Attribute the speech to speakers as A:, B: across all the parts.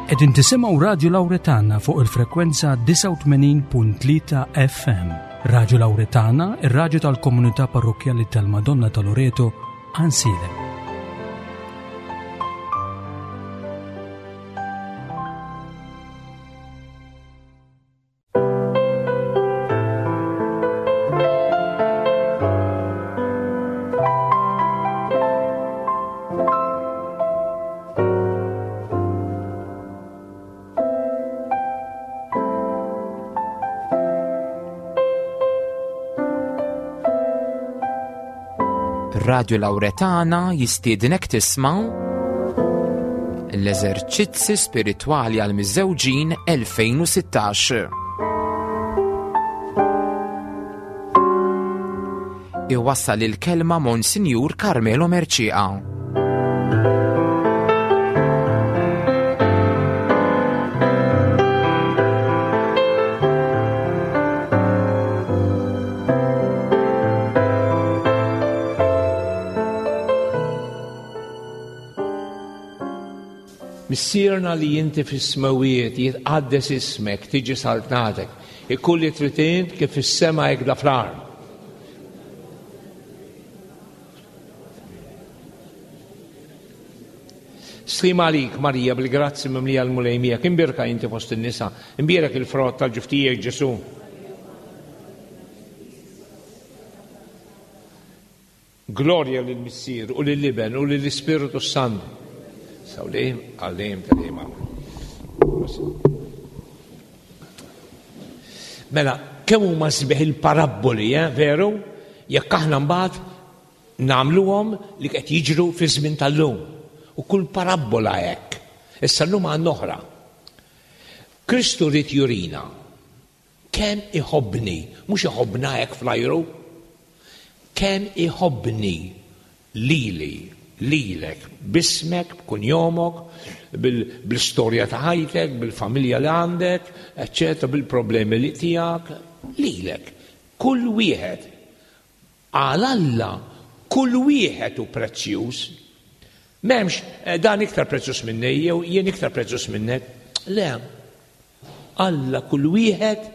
A: Qegħdin tisimgħu Radju Lawretana fuq il-frekwenza 89.3 FM. Radju Lawretana, ir-radju tal-komunità parrokkjali tal-Madonna ta' Loreto, Ansilem.
B: Radio Lauretana jistiednek tisma' l-eżerċizzi spiritwali għal miżżewġin 2016. Iwassal il-kelma Monsinjur Carmelo Mercieca.
C: Missierna li inti fis-smewwiet, jitqaddes ismek, tiġi saltnatek, ikun li trid int kif fis-sema hekk da fl-art. Slim għalik, Marija, bil-grazzi mimlija l-Mulej miegħek, imbierka inti fost in-nisa, imbierek il-frott tal-ġuf tiegħek Ġesù. Glorja lill-Missier u lill-Iben u lill-Ispirtu s-Santu. Saw dejjem għal dejjem ta' dejjem amen. Mela, kemm huma sbieħ il-parabboli, eh, veru? Jekk aħna mbagħad nagħmluhom li qed jiġru fi żmien tal-lum. U kull parabbola hekk. Issa llum għandna oħra. Kristu ried jurina Kemm iħobbni, mhux iħobbna hekk fl-ajru, kemm iħobbni lili, lilek, b'ismek, b'kunjomok, bl-istorja ta' ħajtek, bil-familja li għandek, eċċetera, bil-problemi li tiegħek, lilek. Kull wieħed. Għal Alla kull wieħed hu prezzjuż. M'hemmx eh, dan iktar prezzjuż minni jew jien iktar prezzjuż minnek. Le. Alla kull wieħed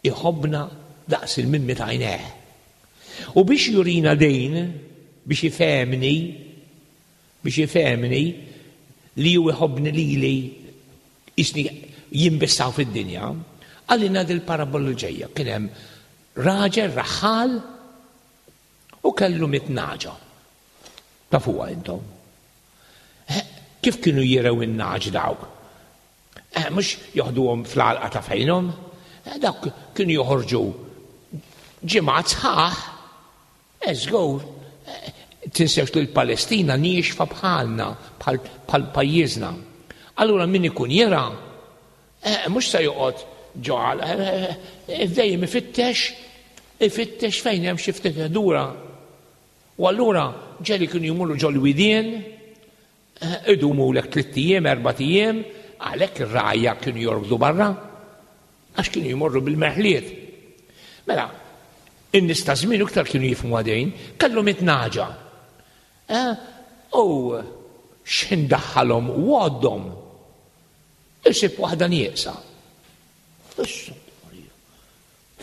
C: iħobbna daqs il-mimmi ta' għajnejh. U biex jurina din, biex ifehmni, biex ifehmni li hu iħobbni lili jisni jimbissaw fid-dinja, għalina dil-parabola l-ġejja. Kien hemm raġel raħħal u kellu mitnaġa. Tafuha intom. Eh, kif kienu jirew in-naġ dawk? Eh, mhux joħduhom fl-għalqa ta' fejnhom, eh, dawk kienu joħorġu ġimgħat sħaħ, eh, żgur, tinsewx li l-Palestina niexfa bħalna, bħal pajjiżna. Allura min ikun jera, mhux se joqgħod ġo dejjem ifittex, ifittex fejn hemm xi ftit ħdura. U allura ġeli kienu jmorru ġol-widien, Idumulek tlitt ijiem, erbat ijiem, għalhekk ir-rgħajja kienu jorqdu barra, għax kienu jmorru bil-merħliet. Mela, in-nies ta' żmien iktar kienu jifhmu għadejn, kellhom it-naġa. Eh, u x'ħin daħħalhom u għoddhom, isib waħda nieqsa. Issa,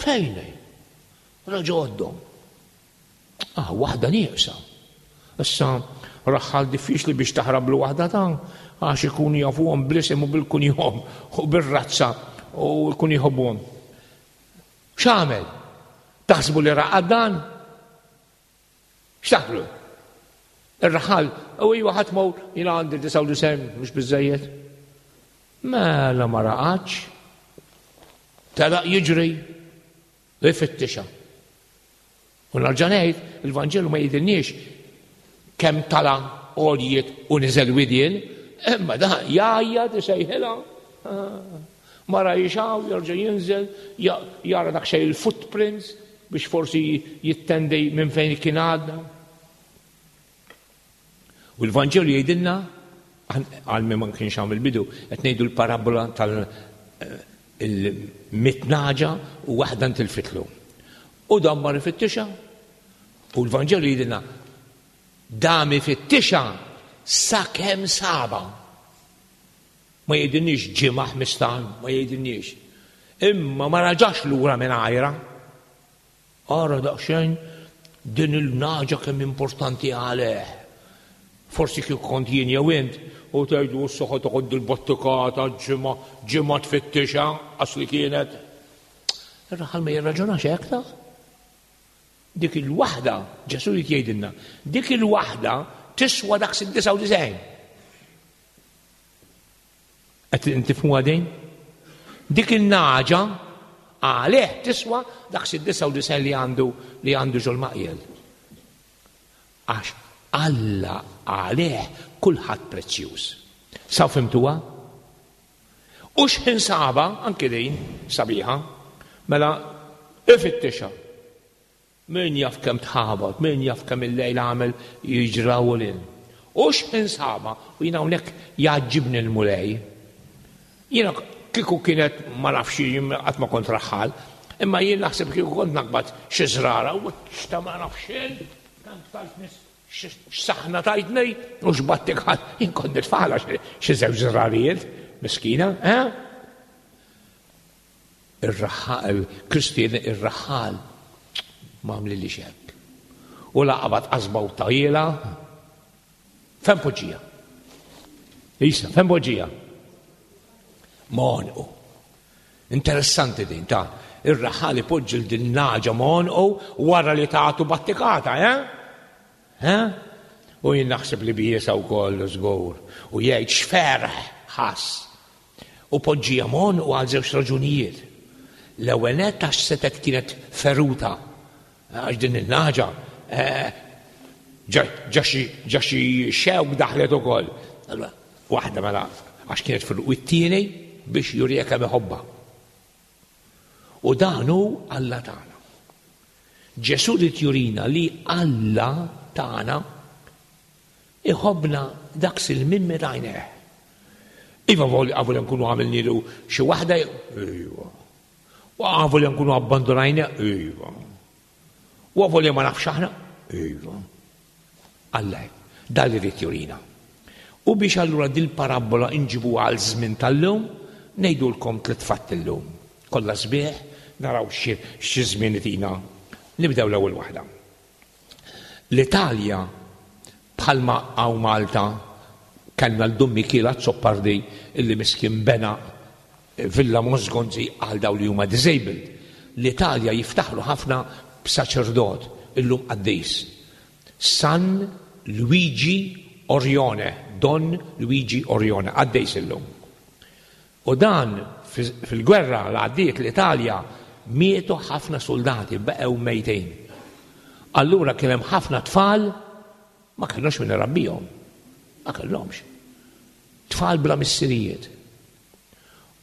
C: fejn hi? Raġa għoddhom. Ah, waħda nieqsa. Issa, raħħal diffiċli biex taħrablu waħda ta' għax ikunu jafuhom bl-isem u bil-kunjom u bir-razza u jkun jħobbuhom. X'għamel? Taħsbu li raqad dan? X'taħlu? Ir-raħal, u iwa ħadd mor jiena għandi 99 mhux biżejjed. Mela ma raqadx. Telaq jiġri ifittixha. U nerġa' ngħid, il-Vanġelu ma jgħidilniex kemm tala' għoljiet u niżel widien, imma dan jgħajjat isejħilha. Ma rajx hawn jerġa' jinżel, jara dak xejn il-footprints biex forsi jittendi minn fejn kien għadda. U l-Vanġelu jgħidilna, għal min ma kienx hawn il-bidu, qed ngħidu l-parabola tal-mitnaġa u waħda ntilfitlu. U dan mar ifittixha u l-Vanġelu jgħidilna dam ifittixha sakemm saba. Ma jgħidilniex ġimgħa ħmistan, ma jgħidilniex. Imma ma raġax lura minn għajra. Ara daqsxejn din il-nagħġa kemm importanti għalih. Forsi kieku kont jien jew int u tgħidu issa ħa toħod dil-battikata ġimgħa ġimgħa tfittixha għax li kienet. Ir-raħal ma jirraġunax hekk ta' dik il-waħda, Ġesù jrid jgħidilna, dik il-waħda tiswa daqs id-99. Qed tifhmuha din? Dik il-naġa għalih tiswa daqs id-99 li għandu li għandu ġol maqjel. Għax Alla għalih kulħadd prezzjuż. Saw fimtuha? U x'ħin saba, anki din sabiħa, mela ifittixha. Min jaf kemm tħabat, min jaf kemm il-lejl għamel jiġra u lil. U x'ħin saba, u jiena hawnhekk jgħaġġibni l-Mulej. Jiena kieku kienet ma nafx qatt ma kont raħħal, imma jien naħseb kieku kont naqbad xi żrara u x'ta ma nafx kemm tajt nies x'saħna tajtni u x'battik ħadd jien kont nitfagħla xi żewġ żrarijiet, miskina, eh? Ir-raħħal, Kristu jgħidli ir-raħħal ma għamlilix hekk. U la qabad qasba u tajjela, fejn poġġija? Isa, fejn poġġija? M'għonqu. Interessanti din ta' ir-raħħal ipoġġi l din naġa m'għonqu wara li tagħtu battikata, eh? Eh? U jien naħseb li biesa wkoll żgur u jgħid x'ferħ ħass U poġġiha m'għonqu għal żewġ raġunijiet. L-ewwel nett għax setgħet kienet feruta, għax din in-nagħġa ġa xi xewk daħlet ukoll. Allura waħda mela għax kienet feruta u t-tieni biex juriha kemm iħobbha. U dan hu Alla tagħna. Ġesù rid jurina li Alla tagħna Iħobbna daqs il-mimmi t'għajnejh. Iva avolja nkunu għamilnilu xi waħda, iva. U avolja nkunu abbandonajna, iva. U avolja ma nafx aħna, iva. Alla dan li rrid jurina. U biex allura dil-parabbola inġibu għal żmien tal-lum, ngħidulkom tliet fatti llum. Kollha sbieħ, naraw xi żmien itina. Nibdew l-ewwel waħda. L-Italja, bħalma hawn Malta kellna 'l Dun Mikiel Azzopardi illi miskin bena Villa Mosgonzi għal dawn li huma disabled. L-Italja jiftaħru ħafna b'saċerdot, illum qaddis, San Luigi Orione, Don Luigi Orione, qaddis illum. U dan fil-gwerra l għaddiet l-Italja mietu ħafna suldati, baqgħu mejtin. Allura kien hemm ħafna tfal ma kellhomx min irabbihom. Ma kellhomx. Tfal bla missirijiet.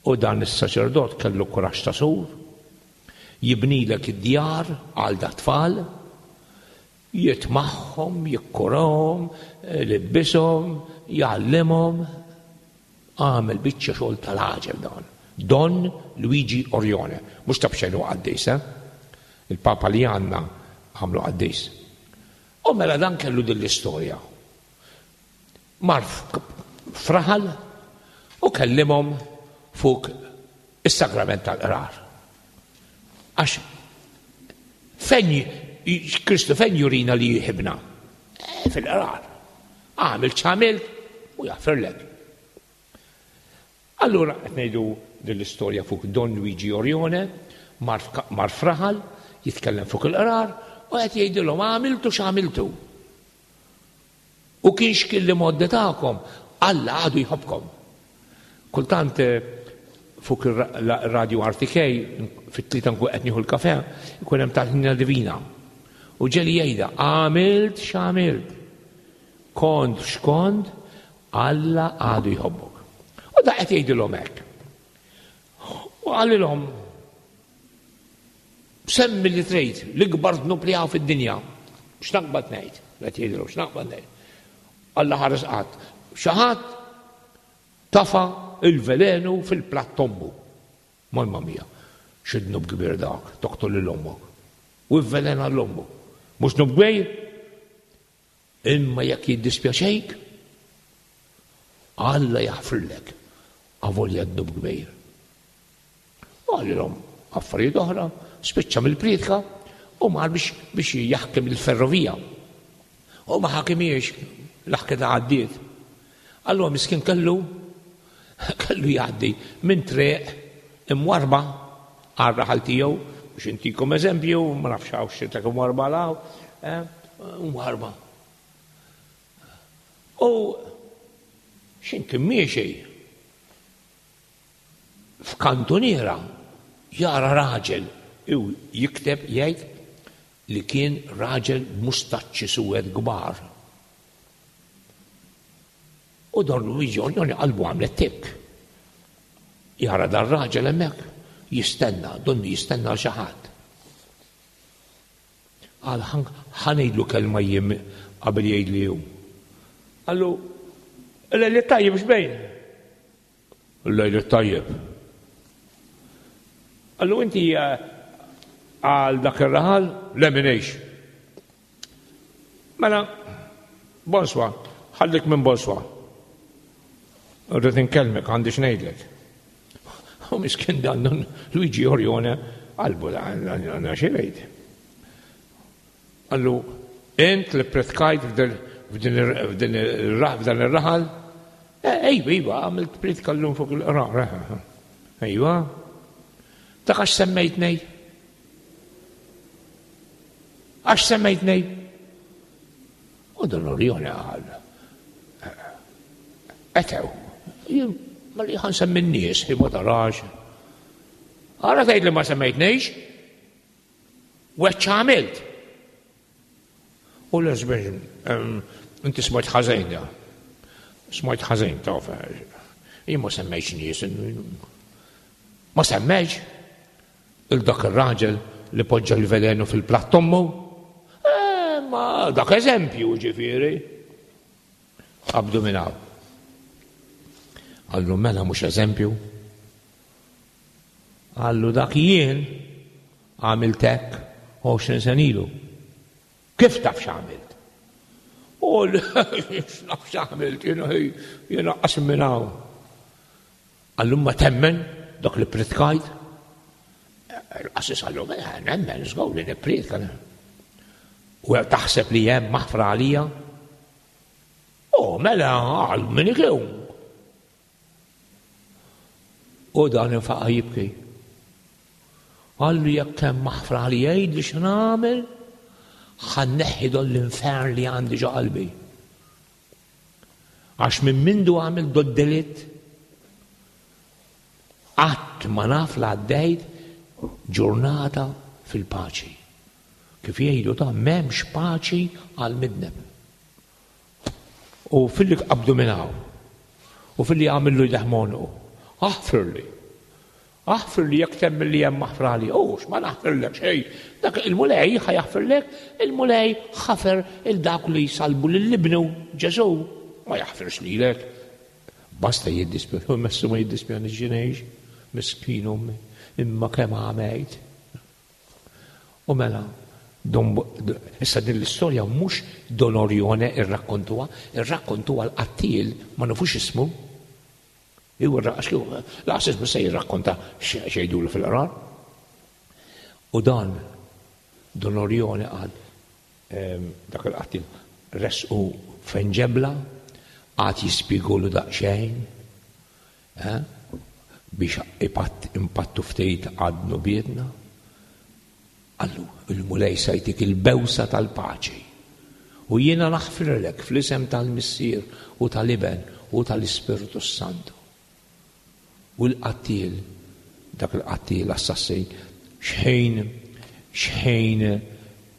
C: U dan is-saċerdot kellu kuraġġ ta' sur, jibnilek id-djar għal da tfal, jitmagħhom, jikkurahom, ilibbishom, jgħallimhom. Għamel biċċa xogħol tal-għaġeb dan. Don Luigi Orione. Mhux ta' b'xejn hu qaddis, eh? Il-Papa li għandna għamlu qaddis. U mela dan kellu din l-istorja. Mar f'raħal u kellimhom fuq is-sagrament tal-qrar. Għax fejn Kristu fejn jurina li jħibna? Eh, fil-qrar. Għamil ċamil u jaffirlek. Allura qed ngħidu din l-istorja fuq Don Luigi Orione, mar fraħal, jitkellem fuq il-qrar u qed jgħidilhom għamiltu x'għamiltu. U kien x'kien l-imgħoddi tagħkom, Alla għadu jħobbkom. Kultant eh, fuq ir-radio RTK fit-tlieta nkun qed nieħu l-kafe, ikun hemm tal-ħnina divina. U ġeli jgħidha, għamilt x'għamilt. Kont x'kont, Alla għadu jħobbok. U da qed jgħidilhom hekk. U qalilhom Semmi li trid, l-ikbar dnub li hawn fid-dinja. X'naqbad ngħid? Qed jgħidlu x'naqbad ngħid. Alla ħares qatt. Xi ħadd tafa il-velenu fil-platt tommu. Mamma mia, xi dnub kbir dak, toqtol lil ommok. U vvelena l-ommu. Mhux dnub kbir? Imma jekk jiddispjaċejk, Alla jaħfirlek. Avolja dnub kbir. U qalilhom affarijiet oħra, spiċċa mill-prietka u mar biex biex jaħkem il-ferrovija. U ma ħakimiex l-ħketa għaddiet. Allura miskin kellu kellu jgħaddi minn triq imwarba għal raħal tiegħu biex intikom eżempju, ma nafx hawn xi ta' imwarba law, eh, imwarba. U x'in kien miexi F'kantuniera jara raġel u jikteb jgħid li kien raġel b'mustaċċi suwed kbar. U Don Luigi Ognoni qalbu għamlet tikk. Jara dar-raġel hemmhekk jistenna, donnu jistenna għal xi ħadd. Qal ħa ngħidlu kelma jien qabel jgħidli hu. Qallu, il-lejl it-tajjeb x'bejn? Lejl it-tajjeb. Qallu inti eh, għal dak ir-raħal le minix. Mela, bonswa, ħallik minn bonswa. Rrid inkellmek għandi x'ngħidlek. U miskin dan Luigi Orione qalbu għandna xi ngħid. Qallu, int li pretkajt f'dan ir-raħal? Eh, ejwa, ejwa, għamilt pritka llum fuq il-qrar. Eh, eh, ejwa. Dak għax semmejtni? Għax semmejtni? U Don Orione qal, etew, jien ma li ħan semmi n-nies, ma tarax. Għara tgħid li ma semmejtnix? U hekk x'għamilt. U l-lesbian, inti smajt ħażin da. Smajt ħażin taf. Jien ma semmejx nies. Ma semmejx il dak ir-raġel li poġġa l-velenu fil-platt ommu. Eh, ma dak eżempju ġifieri. Qabdu minn hawn. Qallu mela mhux eżempju. Qallu dak jien għamilt hekk 20 sena ilu. Kif taf x'għamilt? U x'naf x'għamilt jiena jiena qasem minn hawn. Qallu ma temmen dak li pritkajt? Il-qassis qallu mela nemmen żgur li nippritka. U taħseb li hemm maħfra għalija? U mela għal min ikun. U dan infaqa' jibki. Qallu jekk hemm maħfra li jgħidli x'nagħmel, ħa nneħħi don l-infern li għandi ġo qalbi. Għax minn mindu għamil dod delitt, qatt ma naf la għaddejt ġurnata fil-paċi. Kif jgħidu ta' m'hemmx paċi għal midneb. U filli qabdu minn hawn. U filli għamillu jdeh m'għonqu. Aħfirli. Aħfirli jekk temmen li hemm maħfra għalija. U x'ma naħfirlek xejn. Dak il-Mulej ħa jaħfirlek, il-Mulej ħafer il dawk li salbu lil ibnu Ġesù. Ma jaħfirx lilek. Basta jiddispjaċi, messu ma jiddispjani x'ngħix, miskin ommi, imma kemm għamejt. U mela, Don, issa din l-istorja mhux Don Orione irrakkontuha, irrakkontuha l-qattiel ma nafux ismu. Iwa laqas ismu se jirrakkonta x'jgħidulu fil-qrar. U dan Don Orione qal ehm, dak il-qattiel resqu fejn ġebla, għad jispjegulu daqsxejn, Eh? Biex impattu ftit għad dnubietna. Qallu, il-Mulej se jtik il-bewsa tal-paċi. U jiena naħfirlek fl-isem tal-Missier u tal-Iben u tal-Ispirtu Santu. U l-qattiel, dak il-qattiel assassin, xħin xħin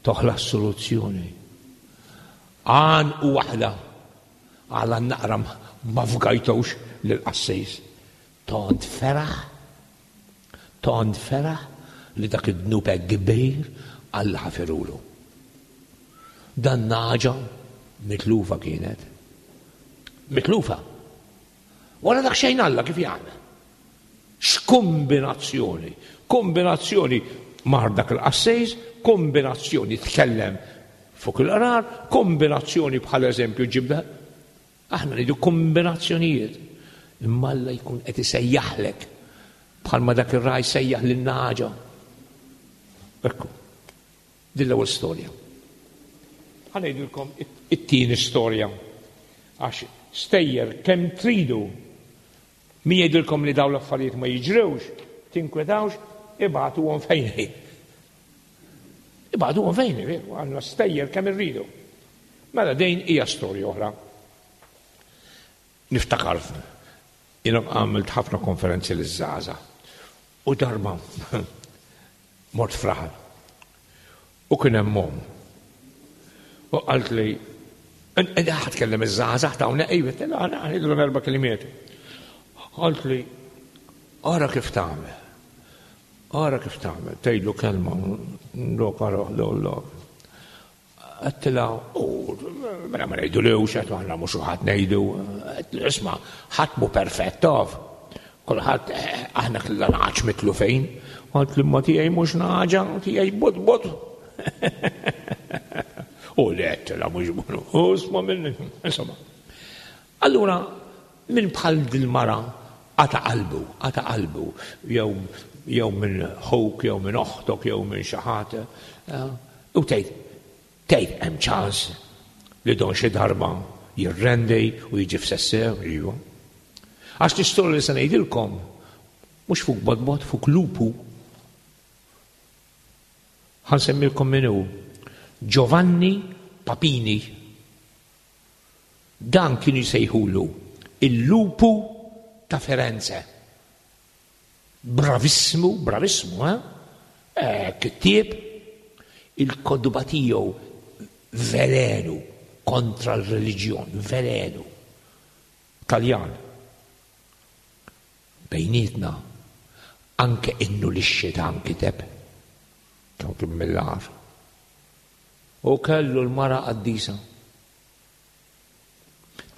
C: toħla soluzzjoni. Għan u waħda Għala naqra ma fgajtux lill-qassis? Tant feraħ, tant feraħ li dak id-dnub hekk kbir Alla ħafirulu. Dan nagħġa mitlufa kienet. Mitlufa. Wara dak xejn Alla kif jagħmel? X'kombinazzjoni! Kombinazzjoni mar dak il-qassis, kombinazzjoni tkellem fuq il-qrar, kombinazzjoni bħal eżempju ġibda. Aħna ngħidu kombinazzjonijiet. Imma Alla jkun qed isejjaħlek bħalma dak ir-ragħaj sejjaħ lin-nagħġa. Ekku. Din l-ewwel storja. Ħa ngħidilkom it-tieni storja. Għax stejjer kemm tridu min jgħidilkom li dawn l-affarijiet ma jiġrewx, tinkwetawx, ibagħtuhom fejn hi. Ibagħtuhom fejn hi, għandna stejjer kemm irridu. Mela din hija storja oħra. Niftakar jiena għamilt ħafna konferenzi liż-żgħażagħ u darba mort f'raħal u kien hemm omm. U qalt li ħa tkellem iż-żgħażagħ ta' hawnhekk, iva, ngħidilhom erba' klimiet. Qalt li ara kif tagħmel. Ara kif tagħmel, tgħidlu kelma, lok ara waħda u lok. Għedtilha, u mela ma ngħidulux, għedt aħna mhux ħadd ngħidu, għedtlu isma' ħadd mhu perfett taf. Kulħadd eh, aħna kellna nagħaġ mitlu fejn, għalt li ma tiegħi mhux nagħġa, tiegħi bot bot. U li għedtilha mhux bonu, u isma' minni, insomma. Allura, minn bħal dil-mara qata' qalbu, qata' qalbu, jew jew minn ħuk, jew minn oħtok, jew minn xi ħadd, eh, U tgħid, tgħid hemm ċans li don xi darba jirrendi u jiġi f'sessew, iva. Għax l-istorja li se ngħidilkom mhux fuq bodbod, fuq lupu. Ħa nsemmilkom min hu. Giovanni Papini. Dan kienu jsejħulu il-lupu ta' Firenze. Bravissimu, bravissimu, eh? eh kittieb il-kodba tiegħu velenu kontra l-reliġjon, velenu. Taljan. Bejnietna, anke innu li x-xitan kiteb, kemm kien mill-għar. U kellu l-mara qaddisa.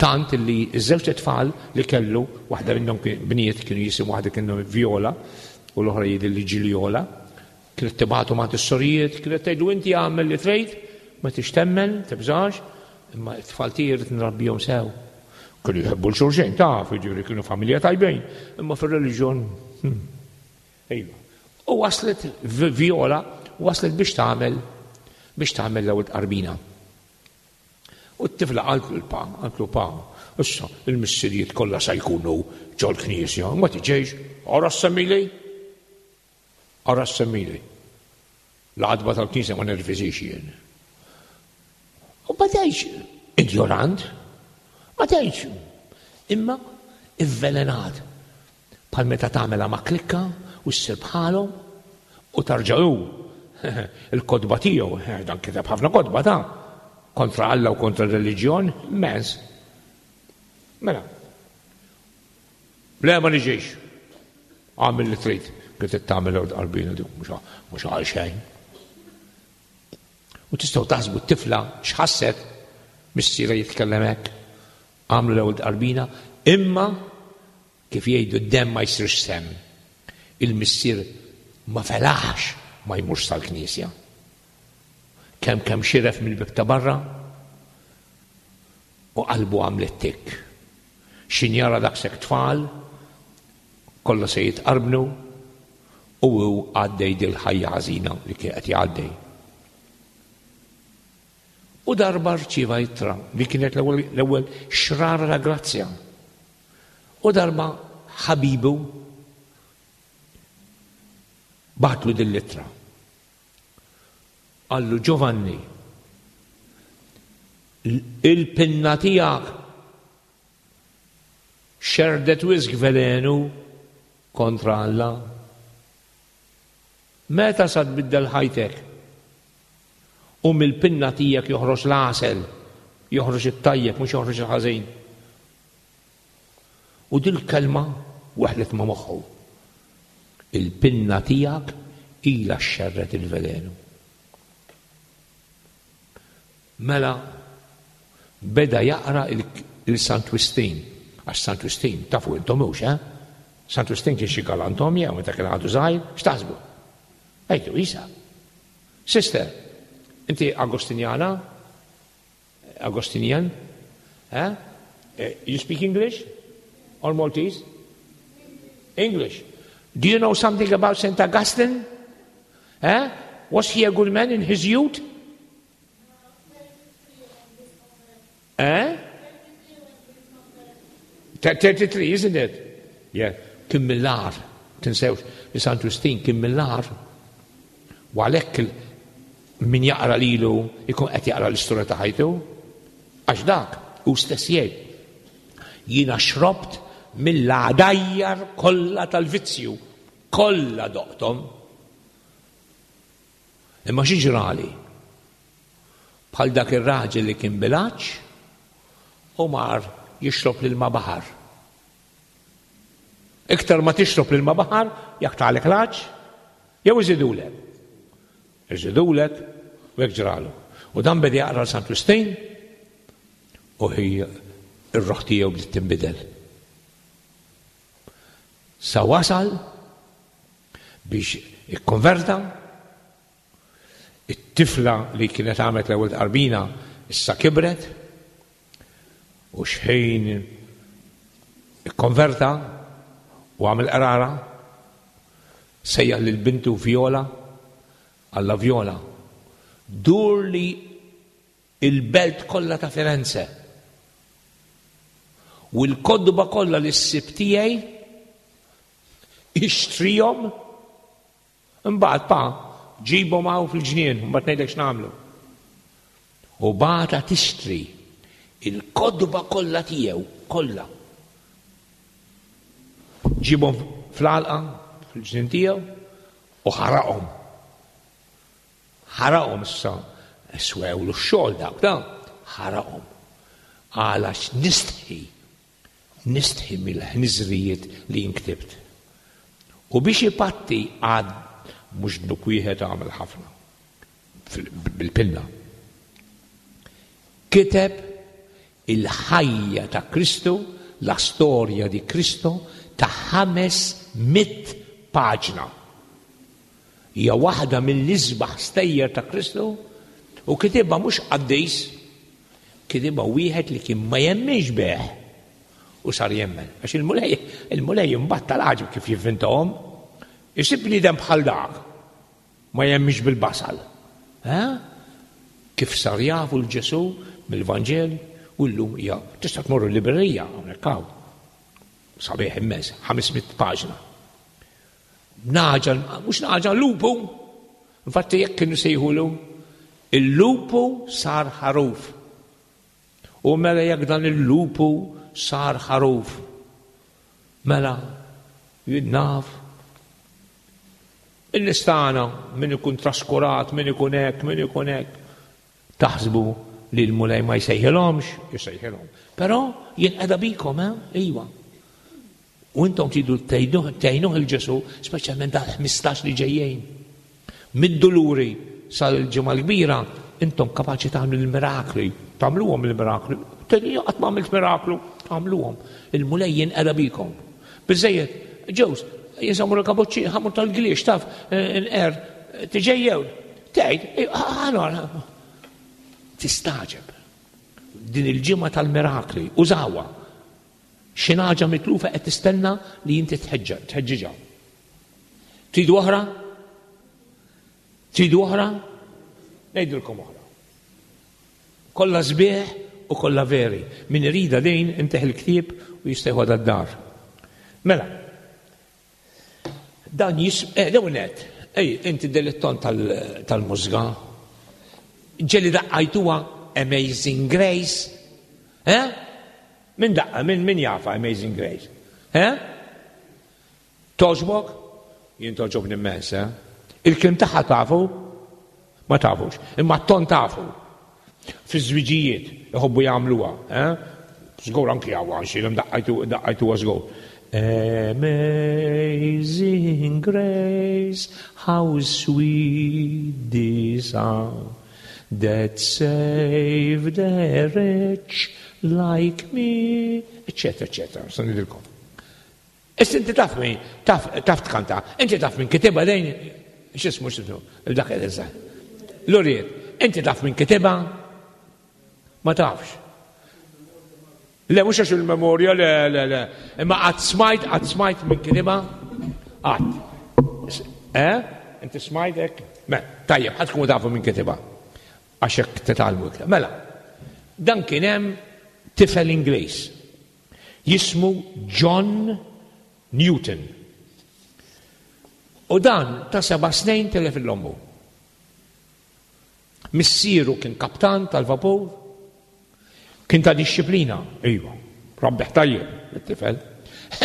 C: Tant li ż-żewġt itfal li kellu, waħda minnhom bniet kienu jisim waħda kienu Viola u l-oħra jidher li Ġiljola, kienet tibgħatu ma' is-sorijiet, kienet tgħidlu inti għamel li trid, ma tix temmen, tibżax, imma t-tfal tiegħi rrid nrabbihom sew. Kienu jħobbu 'l xulxin, taf, jiġifieri kienu familja tajbin, imma fir-reliġjon. Hmm. Iva. U waslet Viola waslet biex tagħmel biex tagħmel l-ewwel tqarbina. U t-tifla qaltlu l-pa, qaltlu pa, issa il-missirijiet kollha sa jkunu ġol-knisja, ma tiġix, ara semmili. Ara semmili. L-għadba tal-knisja ma nerviżix jien. U ma tgħidx injorant, ma tgħidx, imma ivvelenat. Bħal meta tagħmilha ma' klikka u ssir bħalhom u tarġa' hu il-kotba tiegħu, eh, dan kiteb ħafna kotba ta' kontra Alla u kontra r-reliġjon, immens. Mela. Le ma niġix. Għamil li trid, kif tagħmel qalbina dik mhux għal xejn. U tistgħu taħsbu t-tifla x'ħasset missiera jitkellem hekk. Għamlu l-ewwel tqarbina, imma kif jgħidu d-demm ma jsirx semm. Il-missier ma felaħx ma jmurx sal-knisja. Kemm kemm xiref mill-bieb ta' barra u qalbu għamlet tikk. X'in jara daqshekk tfal, kollha se jitqarbnu u hu għaddej dil-ħajja ħażina li kien qed jgħaddej. U darba rċieva ittra li kienet l-ewwel xrara ta' grazzja. U darba ħabibu bagħatlu din l-ittra. Qallu Giovanni, il-pinna tiegħek xerdet wisq velenu kontra Alla. Meta sa tbiddel ħajtek? U mill-pinna tiegħek joħroġ l-għasel, joħroġ it-tajjeb mhux joħroġ il-ħażin. U dil-kelma weħlet ma' moħħu. Il-pinna tiegħek ilha xxerred il-velenu. Mela beda jaqra il-Sant Wistin, għax Sant Wistin tafu intom hux, eh? Sant Wistin kien xi galantom jew meta kien għadu żgħir, x'taħsbu? Ejdu, isa. Sister, inti Agostinjana? Agostinian? Eh? eh? You speak English? or Maltese? English. Do you know something about St. Augustine? Eh? Was he a good man in his youth? Eh? 33, isn't it? Yeah. Kien mill-ar, tinsewx li Sant Wistin kien mill-ar. U għalhekk min jaqra lilu jkun qed jaqra l-istorja ta' ħajtu. Għax dak hu stess jgħid. Jiena xrobt mill-għadajjar kollha tal-vizzju, kollha doqthom. Imma xi ġrali? Bħal dak ir-raġel li kien bil-għatx u mar jixrob l-ilma baħar. Iktar ma tixrob l-ilma baħar, jaqtagħlek l-għatx, jew iżidulek. Iżidulek u hekk ġralu. U dan beda jaqra l Sant Wistin u hi r-ruħ tiegħu bdiet tinbidel. Sa wasal biex ikkonverta It-tifla li kienet għamlet l-ewwel tqarbina issa kibret u xħin ikkonverta u għamel qrara sejjaħ lil bintu Viola għalla Viola dur li il-belt kollha ta' Firenze u l-kotba kollha li ssib tiegħi ixtrihom Imbagħad, pa, ġibhom hawn fil-ġnien, imbagħad ngħidlek x'nagħmlu. U bagħatha tixtri il-kotba kollha tiegħu, kollha. Ġibhom fl-għalqa, fil-ġnien tiegħu, u ħaraqhom. Ħaraqhom issa, swewlu x-xogħol dawk, da, ħaraqhom. Għalax nistħi Nistħi mill-ħniżrijiet li jien ktibt. U biex ipatti għad mhux dnub wieħed għamel ħafna bil-pinna. Kiteb il-ħajja ta' Kristu, la storja di Kristo ta' 500 paġna. Hija waħda mill-isbaħ stejjer ta' Kristu u kitibha mhux qaddis, kitibha wieħed li kien ma jemminx bih u sar jemmen. Għax il-Mulej, il-Mulej imbagħad tal-għaġeb kif jivvintahom. Isib bniedem bħal dak ma jemminx bil-basal. Eh? Kif sar jafu l-Ġesu mill-Vanġel u llum hija tista' tmorru l-librerija hawnhekk hawn. Sabiħ immens, 500 paġna. Naġa, mhux naġa, lupu. Infatti jekk kienu sejħulu, il-lupu sar ħaruf. U mela jekk dan il-lupu sar ħaruf, mela jien naf in-nies tagħna min ikun traskurat, min ikun hekk, min ikun hekk. Taħsbu li l-Mulej ma jsejħilhomx? Jsejħilhom. Però jien qiegħda bikom, eh? Iva. U intom tridu tgħinuh il-Ġesù, speċjalment dal-15 li ġejjin. Mid-duluri sal-ġimgħa l-kbira, intom kapaċi tagħmlu l-mirakli, tagħmluhom il-mirakli. Tgħidu qatt ma għamilt miraklu, tagħmluhom. Il-Mulej jinqeda bikom. Biżejjed, ġews, jinsamu l-kaboċċi, ħamur tal-gliex, taf, eh, nqer, tiġejjew. Tgħid, eh, ħanor, tistaġeb. Din il-ġimgħa tal-mirakli, użawha. Xi nagħġa mitlufa qed tistenna li inti tħeġġiġha. Tridu oħra? Tridu oħra? Ngħidilkom oħra. Kollha sbieħ u kollha veri. Min irida din inteħ il-ktieb u jista' jħodha d-dar. Mela, Dan jis, eh, l-ewwel nett, ej, inti dilettant tal-mużika. Ġeli daqqajtuha Amazing Grace? Eh? Min daqqa, min min jafa Amazing Grace? Eh? Toġbok? Jien toġobni immens, eh? Il-kliem tagħha tafu? Ma tafux, imma t-ton tafu. Fiż-żwiġijiet iħobbu jagħmluha, eh? Żgur anki hawn għax ilhom daqqajtu daqqajtuha żgur. Amazing grace, how sweet the sound that saved a wretch like me, eccetera, eccetera. Sa nidilkom. Issa inti taf min, taf, taf tkanta, inti taf min kitibha dejn, x'ismu x'ismu, dak il Luriet, inti taf min kitibha? Ma tafx. Le, mhux għax il-memorja, le, le, le. Imma qatt smajt, qatt smajt minn kitibha? Qatt. Eh? Inti smajt hekk? Me, tajjeb, ħadd tkunu tafu minn kitibha. Għax hekk titgħallmu iktar. Mela, dan kien hemm tifel Ingliż jismu John Newton. U dan ta' seba' snin tilef l-ommu. Missieru kien kaptan tal-vapur, kien ta' dixxiplina, iva, rabbeħ tajjeb it-tifel.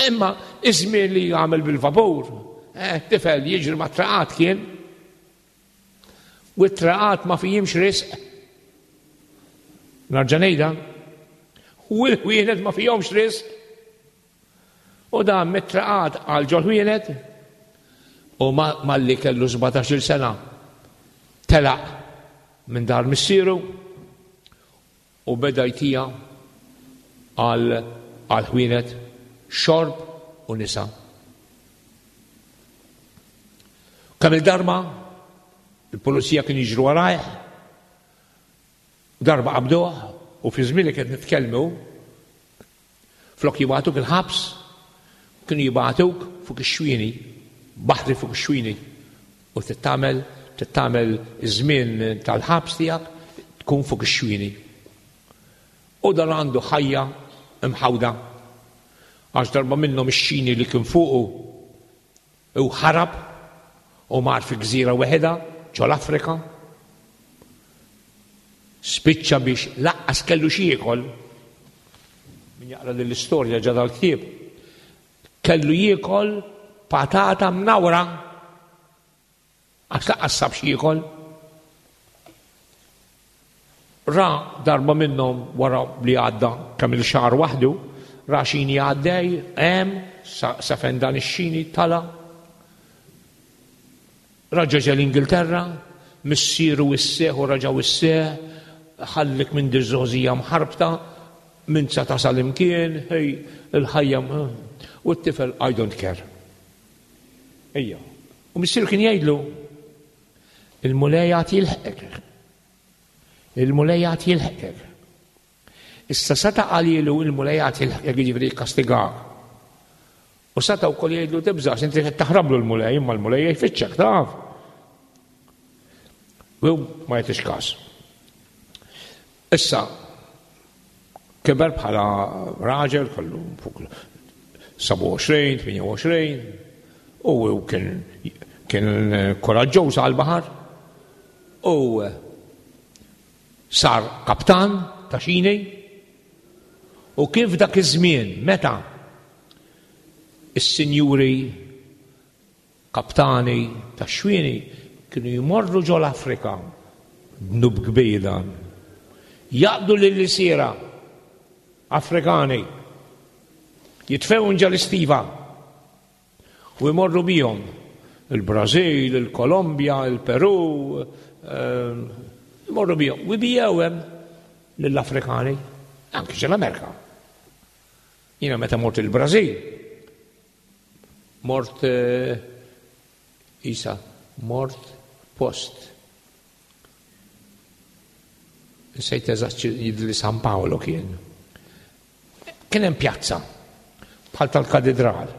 C: Imma iż-żmien li jagħmel bil-vapur, eh, tifel jiġri ma' traqat kien. U t-traqat ma fihimx risq. Narġa' ngħidha. U l-ħwienet ma fihomx risq. U dan mit-traqat għal ġol-ħwienet u malli kellu 17-il sena telaq minn dar missieru u beda jtija għal ħwienet xorb u nisa. Kemm il-darba il-pulizija kien jiġru warajh, darba qabduh u fi żmien li qed nitkellmu Flok jibagħtuk il-ħabs, kienu jibagħtuk fuq ix-xwieni, baħri fuq ix-xwieni, u trid tagħmel trid tagħmel iż-żmien tal-ħabs tiegħek tkun fuq ix-xwieni. U dan għandu ħajja mħawda. Għax darba minnhom ix-xini li kien fuqu U ħarab u mar fi gżira weħidha ġol-Afrika. Spiċċa biex laqqas kellu xi jiekol. Min jaqra din l-istorja ġa dal-ktieb. Kellu jiekol patata mnawra Għax laqqas sab x'jiekol. Ra darba minnhom wara li għadda kemm il-xahar waħdu, ra xini għaddej, hemm, sa fejn dan ix-xini tala. Raġa ġe l-Ingilterra, missieru wisseħ u raġa wisseħ, ħallik minn diżożija mħarbta, minn sa tasal imkien, hej, il-ħajja, u t-tifel I don't care. Ejja. U missieru kien jgħidlu, il-Mulej għad jilħqek. Il-Mulej għad jilħqek. Issa seta qalilu il-Mulej għad jilħqek jiġifieri jikkastigak. U seta wkoll jgħidlu tibżax inti qed taħrablu l-Mulej, imma l-Mulej jfittxek taf. U ma jagħtix każ. Issa, kiber bħala raġel kollu fuq 27, 28, u kien kien koraġġuż għal-baħar u sar kaptan ta' xini u kien f'dak iż-żmien meta is-sinjuri Kaptani tax-xwieni kienu jmorru ġol-Afrika, dnub kbir dan, jaqbdu lill-ilsiera Afrikani, jitfewhom ġol-istiva u jmorru bihom il-Brażil, il-Kolombja, il-Peru, ehm, jmorru bihom u jbijgħu hemm lill-Afrikani, anki ġol-Amerika. Jiena meta mort il-Brażil, Mort isa, mort post. Nsejt eżatt jidli San Paolo kien. Kien hemm pjazza bħal tal-katedral.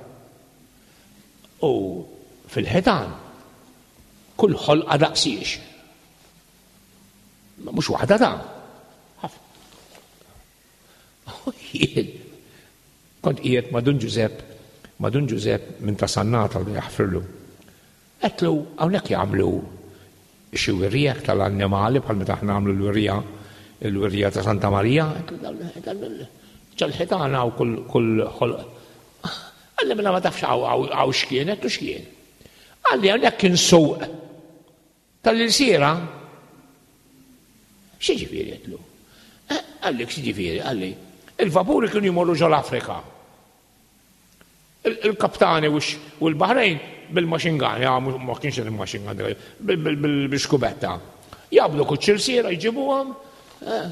C: U fil-ħitan kull ħolqa daqsiex. Mhux waħda ta' ħafna. U jien kont qiegħed ma' Dun Ġużepp, ma' Dun Ġużepp minn ta' Sannata li jaħfirlu. Għedtlu hawnhekk jagħmlu xi wirja tal-annimali bħal meta aħna nagħmlu l-wirja il-wirja ta' Santa Marija. Ġol-ħitan hawn kull ħolq. Qalli mela ma tafx hawn x'kien, għedtlu x'kien. Qalli hawnhekk kien suq Tal-ilsiera? X'jiġifieri għedtlu? Eh, qalli x'jiġifieri, qalli. Il-vapuri kienu jmorru ġol-Afrika. Il-kaptani u l-Bahrejn bil-machine gun, ja, ma kienx il-machine gun, bil-xkubetta. Jabdu kuċ-ilsiera jġibuhom, eh,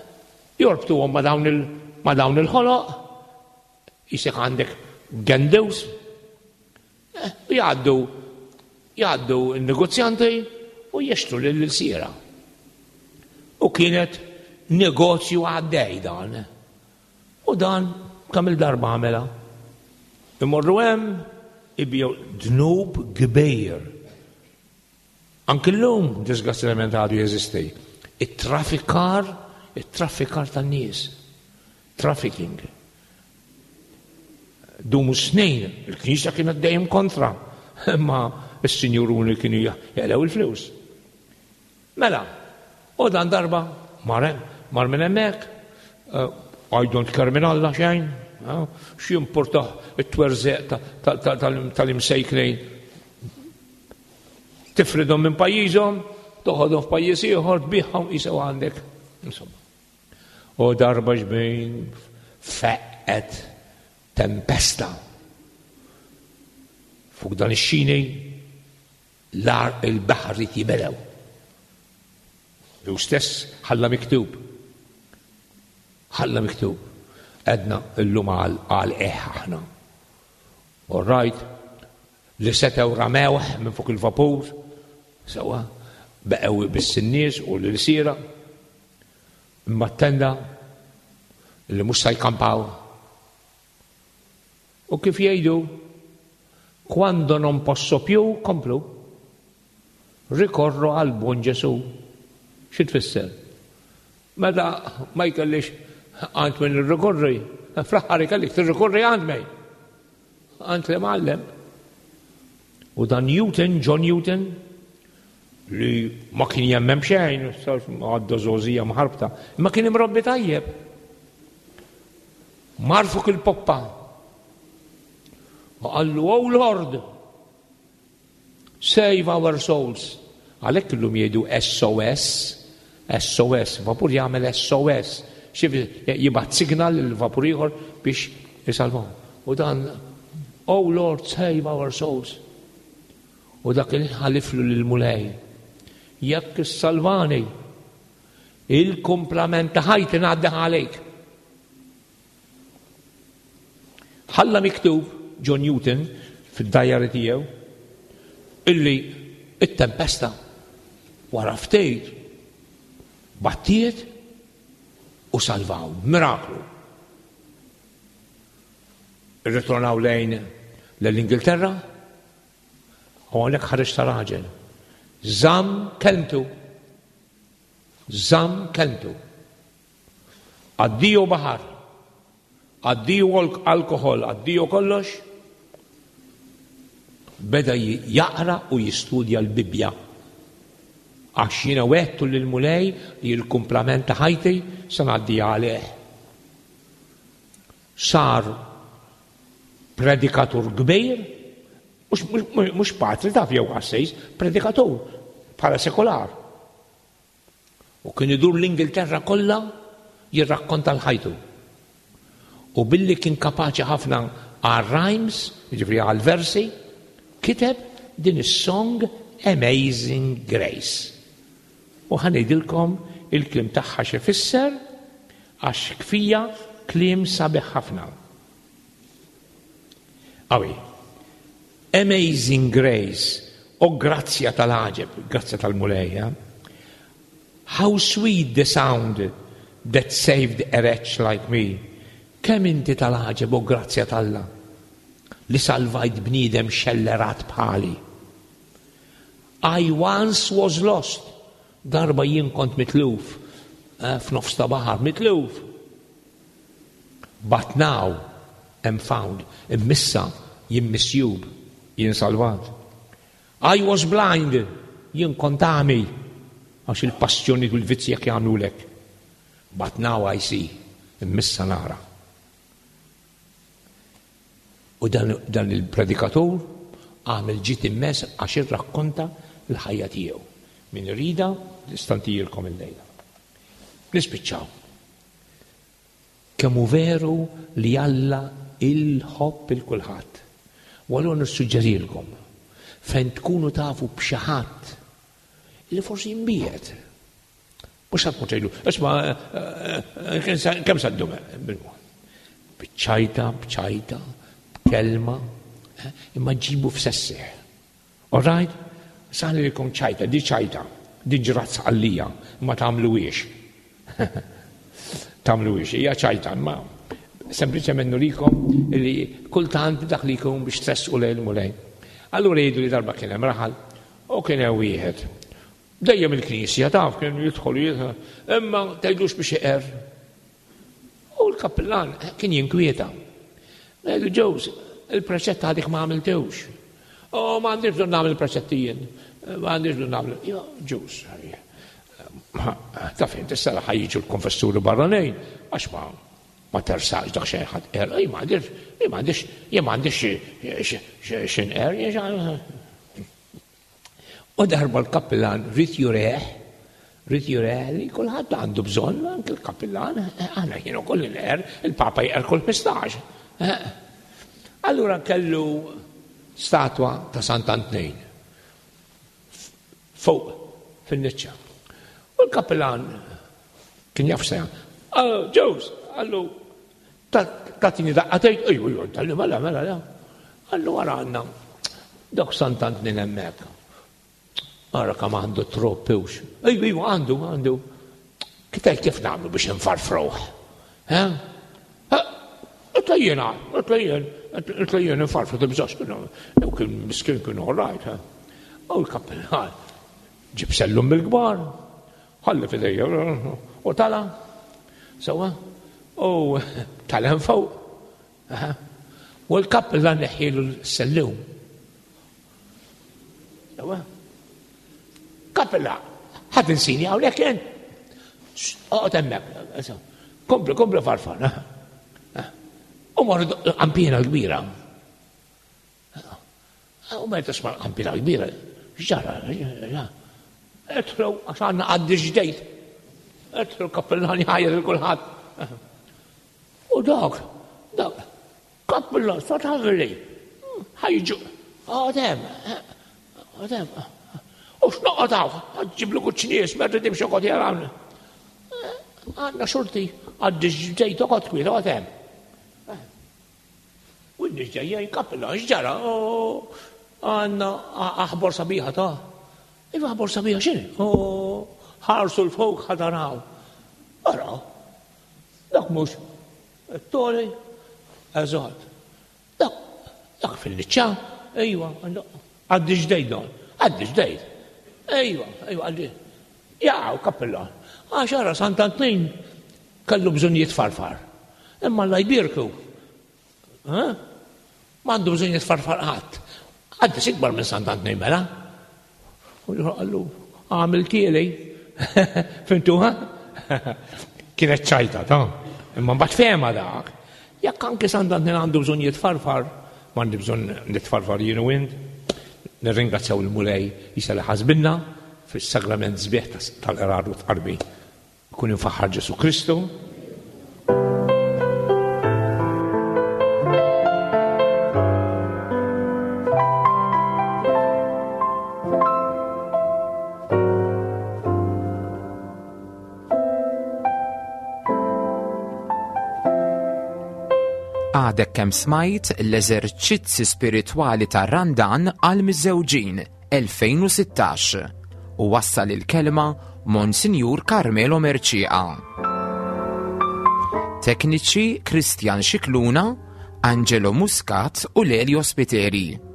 C: jorbtuhom ma' dawn il-ħoloq, jisek għandek gendus, Eh, jgħaddu jgħaddu n-negozjanti u jixtru lill-ilsiera. U kienet negozju għaddej dan. U dan kemm il-darba għamela. Imorru hemm ibjew dnub kbir. Anki llum disgrazzjatament għadu jeżisti. It-traffikar, it-traffikar tan-nies. Trafficking. Dumu snin, il-Knisja kienet dejjem kontra, imma s-sinjuruni kienu jaqlew il-flus. Mela, u dan darba mar mar minn hemmhekk, eh, I don't care minn Alla xejn, eh, x'jimportah it-twerżeq tal-imsejknejn. Tifridhom minn pajjiżhom, toħodhom f'pajjiż ieħor, tbiħhom jisew għandek. Insomma. U darba xbejn feqqet tempesta fuq dan ix-xini L-għar il-baħar ried jibelgħu. Hu stess ħalla miktub. Ħalla miktub. Għedna illum għal għal eħ aħna. All right, li setgħu ramewh minn fuq il-vapur, sewa, beqgħu biss in-nies u l-ilsiera. Imma t-tenda li mhux se jkampaw U kif jgħidu, quando non posso più, komplu, ricorro al buon Ġesù. Xi tfisser? Meta ma jkellix għand min irrikorri, fl-aħħar ikellik tirrikorri għand mej. Għand li mgħallem. U dan Newton, John Newton, li ma kien jemmem xejn, għadda żgħożija mħarbta, imma kien imrobbi tajjeb. Mar fuq il-poppa u qallu, Oh Lord, save our souls. Għalhekk illum jgħidu SOS, SOS, vapur jagħmel SOS, jibgħat signal lil vapur ieħor biex isalvaw. U dan, Oh Lord, save our souls. U dak il-ħaliflu lil-Mulej. Jekk issalvani, Il-kumplament ta' ħajti ngħaddih għalejk. Ħalla miktub John Newton fid-dajari tiegħu illi it-tempesta wara ftit battiet u salvaw miraklu. Irritornaw lejn l-Ingilterra u hawnhekk ħareġ ta' raġel. Żamm kelmtu. Żamm kelmtu. Addio baħar. Addio alkoħol, addio kollox. Beda jaqra u jistudja l-Bibbja. Għax jiena wegħdtu lill-Mulej li l-kumplament ta' ħajti se ngħaddiha għalih. Sar predikatur kbir, mhux patri taf jew qassis, predikatur bħala sekular. U kien idur l-Ingilterra kollha jirrakkonta l-ħajtu. U billi kien kapaċi ħafna għal rhymes, jiġifieri għal versi, kiteb din is-song Amazing Grace. U ħa ngħidilkom il-kliem tagħha x'ifisser għax kfija kliem sabiħ ħafna. Awi. Amazing Grace, o grazzja tal-għaġeb, grazzja tal-Mulej. Eh? How sweet the sound that saved a wretch like me. Kemm inti tal-għaġeb o grazzja t'Alla li salvajt bniedem xellerat bħali. I once was lost. Darba jien kont mitluf eh, f'nofs ta' baħar, mitluf. But now am found, imma issa jien misjub, jien salvat. I was blind, jien kont għami, għax il-passjoni u l-vizzji jekk jagħmlulek. But now I see, imma issa nara. U dan, dan il-predikatur għamel ġid immens għax irrakkonta l-ħajja tiegħu. Min irida, nistantijilkom il-lejla. Nispiċċaw. Kemm hu veru li Alla il-ħobb il kulħadd. U allura nissuġġerilkom fejn tkunu tafu b'xi ħadd li forsi jinbiegħed. Mhux sa tkun tgħidlu, isma' eh, eh, kemm sa ddum B'ċajta, b'ċajta, b'kelma, eh, imma ġibu f'sessih. All right? Saħlilkom ċajta, di ċajta, di ġrat sqallija, ma tagħmluhiex. Tagħmluhiex, hija ċajta, imma Sempliċement nurikom li kultant dak li jkun biex tressqu lejn il-Mulej. Allura jgħidu li darba kien hemm raħal u kien hemm wieħed. Dejjem il-knisja taf kien jidħol jidħol, imma tgħidlux biex iqer. U l-kappillan kien jinkwieta. Ngħidu ġews, il-preċett għadik ma għamiltewx. U ma għandix bżonn nagħmel preċetti jien. Ma għandix bżonn nagħmel. Ġews, taf int issa ħajġu l-konfessuri barranin, għax ma ma tersaqx dak xejn ħadd qer, ej ma għandix, ej ma għandix, jien ma għandix x'inqer, U darba l-kappillan rrid jureħ, rrid jureħ li kulħadd għandu bżonn, anke l-kappillan, aħna jien ukoll inqer, il-Papa jqer kull 15. Allura kellu statwa ta' Sant'Antnin fuq fin-niċċa. U l-kappillan kien jaf se Ġews, għallu, tatini daqqatejt, ejju, ejju, tal-li mela, mela, mela. Għallu għara għanna, dak Sant'Antnin hemmhekk. Ara kam għandu troppewx. Ejju, ejju, għandu, għandu. Kitaj kif nagħmlu biex nfarfruh? Għetla jena, għetla jen, għetla jen nfarfru tibżax, jew kien miskin kien all right. U l-kappellan ġib sellum bil-kbar, ħalli fidejja, u tala, sewa, u tala fuq. U l-kappellan neħħilu l-sellum. Sewa. Kappella, ħadd insini hawnhekk kien. Oqgħod hemmhekk. Kompli, kompli farfar. U marru qampina kbira. U meta tisma' qampina kbira, x'ġara? Etlu, għax għandna għaddi ġdejt. Etlu kappellan jħajjer il kulħadd. U dak, dak, Kappillan, sa tagħmel Ħajġu, għadem, għadem. U x'noqgħod hawn, ġiblu kuċ nies, merri timxi qod jarawna. Għandna xorti, għaddi ġdejt oqgħod kwiet, għadem. U n-nies ġejjin kappillan, x'ġara? Għandna aħbar sabiħa ta' Iva aħbar sabiħa x'inhi? Ħarsu l-fuq ħadaraw. Ara, dak mhux Tony, eżatt. Dak, dak fil-niċċa, ejwa, għaddi ġdejt don, għaddi ġdejt. Ejwa, ejwa, għaddi. Jaqaw, kappillan. Għax ara Sant'Antnin kellu bżonn jitfarfar. Imma la jbirku. M'għandu bżonn jitfarfar qatt. Qaddis ikbar minn Sant'Antnin mela. U qallu, għamil tieli. Fimtuha? Kienet ċajta, ta' imma mbagħad fehma dak. Jekk anke Sant'Antnin għandu bżonn jitfarfar, m'għandi bżonn nitfarfar jien u int. Nirringrazzjaw il-Mulej jisa li ħasbinna fis-sagrament sbieħ tal-qrar u tqarbi. Ikun imfaħħar Ġesù Kristu.
B: Għadek kemm smajt l-eżerċizzi spiritwali tar-Randan għal miżżewġin 2016 u wassal il-kelma Monsinjur Carmelo Mercieca. Tekniċi Christian Scicluna, Angelo Muscat u Lelio Spiteri.